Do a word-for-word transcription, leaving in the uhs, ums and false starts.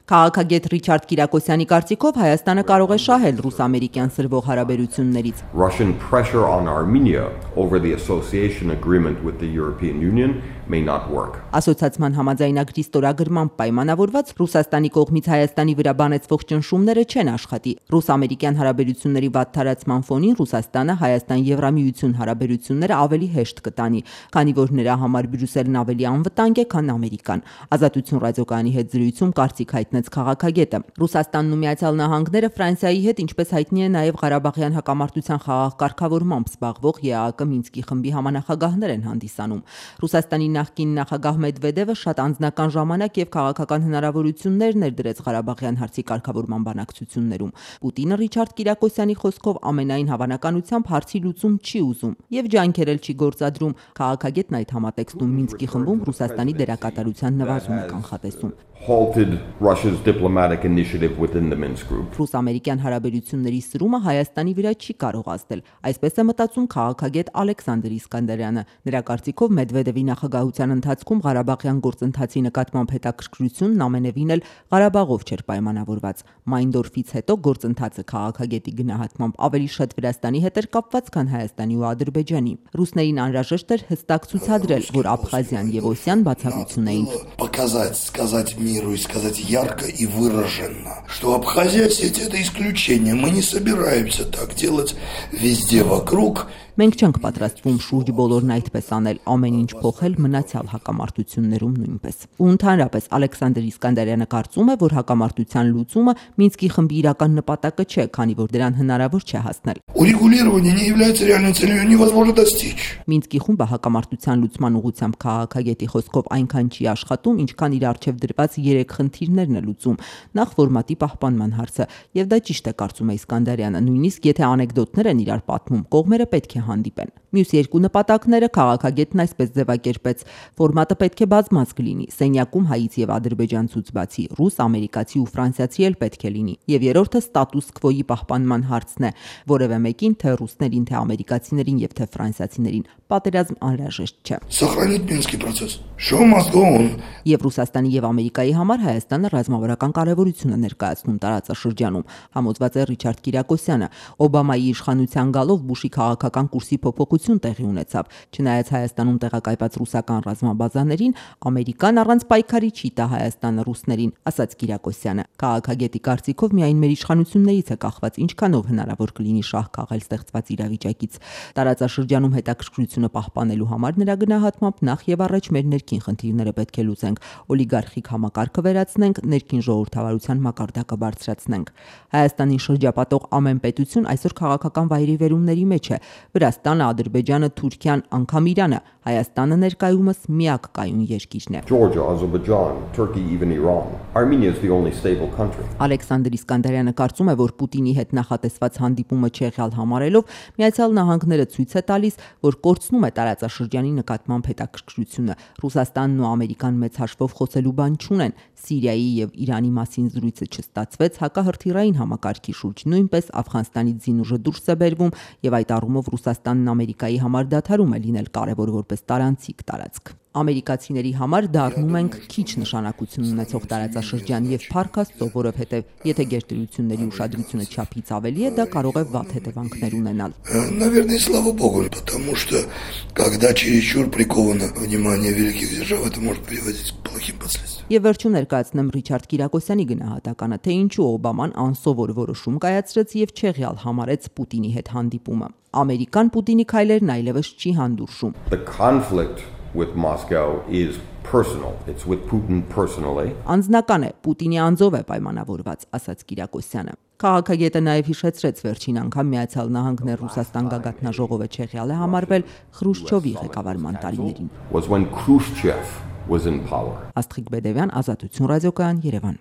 Քաղաքագետ Ռիչարդ Կիրակոսյանի կարծիքով Հայաստանը կարող է շահել ռուս-ամերիկյան սրվող հարաբերություններից։ Russian pressure on Armenia over the association agreement with the European Union may not work. Ասոցիացիան համաձայնագրի ստորագրմամբ պայմանավորված Ռուսաստանի կողմից Հայաստանի վրա բանեցվող ճնշումները չեն աշխատի։ Ռուս-ամերիկյան հարաբերությունների վատթարացման ֆոնին Ռուսաստանը Հայաստան-Եվրամիություն հարաբերությունները ավելի հեշտ կտանի, քանի որ նրա համար Բրյուսելն ավելի անվտանգ է, քան Ամերիկան։ Ազատություն ռադիոկայանի հետ զրույցում կարծիք հայտնեց քաղաքագետը։ Ռուսաստանն ու Միացյալ Նահանգները Ֆրանսիայի հետ, ինչպես հայտնի է, նաև Ղարաբաղյան հակամարտության խաղաղ կարգավորմամբ զբաղվող ԵԱՀԿ Մինսկի խմբի համանախագահներ են հանդիսանում։ Ռուսաստանի նախկին նախագահ Մեդվեդևը շատ անձնական ժամանակ եւ քաղաքական հնարավորություններ ներդրեց Ղարաբաղյան հարցի կարգավորման բանակցություններում։ Պուտինը Ռիչարդ Կիրակոսյանի խոսքով ամենայն հավանականությամբ հարցի լուծում չի ուզում եւ ջանքեր էլ չի գործադրում։ Քաղաքագետն այդ համատեքստում Մինսկի խմբում Ռուսաստանի դերակատարության նվազում է կանխատեսում։ Halted Russia's diplomatic initiative within the Minsk group. Ռուս-ամերիկյան հարաբերությունների սրումը Հայաստանի վրա չի կարող ազդել, այսպես է մտածում քաղաքագետ Ալեքսանդր Իսկանդարյանը։ Նրա կարծիքով Մեդվեդևի նախագահության ընթացքում Ղարաբաղյան գործընթացի նկատմամբ հետաքրքրությունն ամենևին էլ Ղարաբաղով չէր պայմանավորված։ Մայնդորֆից հետո գործընթացը քաղաքագետի գնահատմամբ ավելի շատ Վրաստանի հետ էր կապված, քան Հայաստանի ու Ադրբեջանի։ Ռուսներին անհրաժեշտ էր հստակ ցուցադրել, որ Աբխազիան եւ Օսիան բացառություն էին։ Показать, сказать миру и сказать ярко и выраженно, что Абхазия сеть это исключение, мы не собираемся так делать везде вокруг. Մենք չենք պատրաստվում շուրջ բոլորն այդպես անել, ամեն ինչ փոխել մնացյալ հակամարտություններում նույնպես։ Ու ընդհանրապես Ալեքսանդր Իսկանդարյանը կարծում է, որ հակամարտության լուծումը Մինսկի խմբի իրական նպատակը չէ, քանի որ դրան հնարավոր չէ հասնել։ Урегулирование не является реальной целью, ее невозможно достичь. Մինսկի խումբը հակամարտության լուծման ուղղությամբ քաղաքագետի խոսքով այնքան չի աշխատում, ինչքան իր առջև դրված երեք խնդիրներն է լուծում։ Նախ ֆորմատի պահպանման հարցը, եւ դա ճիշտ է կարծում է Իսկանդարյանը, նույնիսկ եթե անեկդոտներ են իրար պատմում, կողմերը պետք է հանդիպեն։ Մյուս երկու նպատակները քաղաքագետն այսպես ձևակերպեց. ֆորմատը պետք է բազմազգ լինի, սենյակում հայից եւ ադրբեջանցուց բացի ռուս, ամերիկացի ու ֆրանսիացի էլ պետք է լինի։ Եվ երրորդը ստատուս քվոյի պահպանման հարցն է, որևէ մեկին, թե ռուսներին, թե ամերիկացիներին եւ թե ֆրանսիացիներին պատերազմ անհրաժեշտ չէ։ Сохранить Минский процесс. Show must go on. Եվ Ռուսաստանի եւ Ամերիկայի համար Հայաստանը ռազմավարական կարեւորություն է ներկայացնում տարածաշրջանում, համոզված է Ռիչարդ Կիրակոսյանը։ Օբամայի իշխանության գալով Բուշի քաղաքական կուրսի փոփոխություն տեղի ունեցավ։ Չնայած Հայաստանում տեղակայված ռուսական ռազմաբազաներին, Ամերիկան առանց պայքարի չի տա Հայաստանը ռուսներին, ասաց Կիրակոսյանը։ Քաղաքագետի կարծիքով միայն մեր իշխանություններից է կախված ինչքանով հնարավոր կլինի շահ քաղել ստեղծված իրավիճակից։ Տարածաշրջանում հետաքրքրությունը պահպանելու համար նրա գնահատմամբ նախ եւ առաջ մեր ներքին խնդիրները պետք է լուծենք, օլիգարխիկ համակարգը վերացնենք, ներքին ժողովրդավարության մակարդակը բարձրացնենք։ Հայաստանին շրջապատող ամեն պետություն այսօր քաղաքական վայրիվերումների մեջ է։ Վրաստանը, Ադրբեջանը, Թուրքիան, անգամ Իրանը, Հայաստանը ներկայումս միակ կայուն երկիրն է։ Georgia, Azerbaijan, Turkey, even Iran. Armenia is the only stable country. Ալեքսանդր Իսկանդարյանը կարծում է, որ Պուտինի հետ նախատեսված հանդիպումը չեղյալ համարելով Միացյալ Նահանգները ցույց է տալիս, որ կորցնում է տարածաշրջանի նկատմամբ հետաքրքրությունը։ Ռուսաստանն ու Ամերիկան մեծ հաշվով խոսելու բան չունեն։ Սիրիայի եւ Իրանի մասին զրույցը չստացվեց հակահրթիռային համակարգի շուրջ, նույնպես Աֆղանստանից զինուժը դուրս է բերվում եւ այդ առումով Ռուսաստանն Ամերիկայի համար դադարում է լինել կարևոր որպես տարանցիկ տարածք։ Ամերիկացիների համար դառնում ենք քիչ նշանակություն ունեցող տարածաշրջան եւ փառք Աստծո, որովհետեւ եթե գերտերությունների ուշադրությունը չափից ավելի է, դա կարող է վատ հետևանքներ ունենալ։ Наверное, слава Богу, потому что когда чересчур приковано внимание великих держав, это может приводить к плохим последствиям. Եվ վերջում ներկայացնեմ Ռիչարդ Կիրակոսյանի գնահատականը, թե ինչու Օբաման անսովոր որոշում կայացրեց եւ չեղյալ համարեց Պուտինի հետ հանդիպումը։ Ամերիկան Պուտինի քայլերն այլևս չի հանդուրժում։ The conflict with Moscow is personal. It's with Putin personally. Անձնական է, Պուտինի անձով է պայմանավորված, ասաց Կիրակոսյանը։ Քաղաքագետը նաև հիշեցրեց վերջին անգամ Միացյալ Նահանգներ Ռուսաստան գագաթնաժողովը չեղյալ է համարվել Խրուշչովի ղեկավարման տարիներին։ Was when Khrushchev was in power. Աստղիկ Բեդևյան, Ազատություն ռադիոկայան, Երևան։